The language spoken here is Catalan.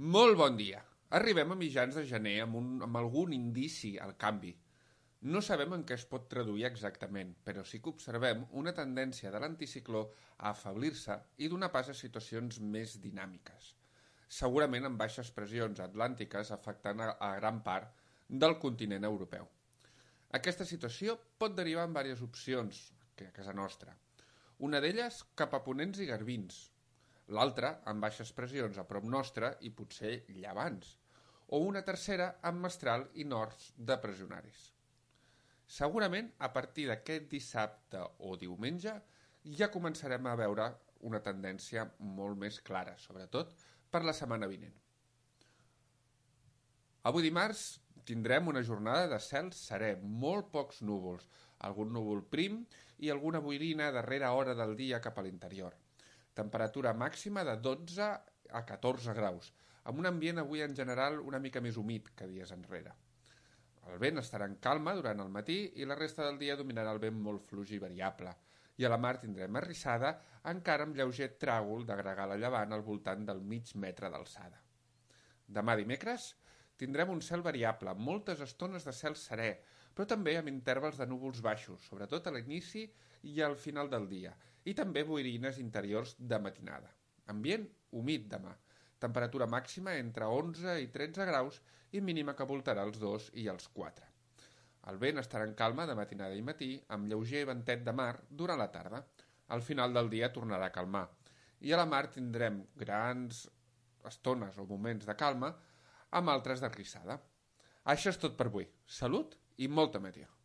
Molt bon dia. Arribem a mitjans de gener amb algun indici al canvi. No sabem en què es pot traduir exactament, però sí que observem una tendència de l'anticicló a afeblir-se i donar pas a situacions més dinàmiques. Segurament amb baixes pressions atlàntiques afectant a gran part del continent europeu. Aquesta situació pot derivar en diverses opcions a casa nostra. Una d'elles cap a ponents i garbins, l'altra amb baixes pressions a prop nostre i potser llevants, o una tercera amb mestral i nords de pressionaris. Segurament a partir d'aquest dissabte o diumenge ja començarem a veure una tendència molt més clara, sobretot per la setmana vinent. Avui dimarts tindrem una jornada de cel serè, molt pocs núvols, algun núvol prim i alguna boirina a darrera hora del dia cap a l'interior. Temperatura màxima de 12 a 14 graus, amb un ambient avui en general una mica més humit que dies enrere. El vent estarà en calma durant el matí i la resta del dia dominarà el vent molt fluix i variable. I a la mar tindrem arrissada, encara amb lleuger tràgol de gregal a llevant al voltant del mig metre d'alçada. Demà dimecres tindrem un cel variable, amb moltes estones de cel serè, però també amb intervals de núvols baixos, sobretot a l'inici i al final del dia, i també boirines interiors de matinada. Ambient humit demà, temperatura màxima entre 11 i 13 graus i mínima que voltarà els 2 i els 4. El vent estarà en calma de matinada i matí, amb lleuger ventet de mar durant la tarda. Al final del dia tornarà a calmar. I a la mar tindrem grans estones o moments de calma, amb altres d'arrissada. Això és tot per avui. Salut i molta meteo.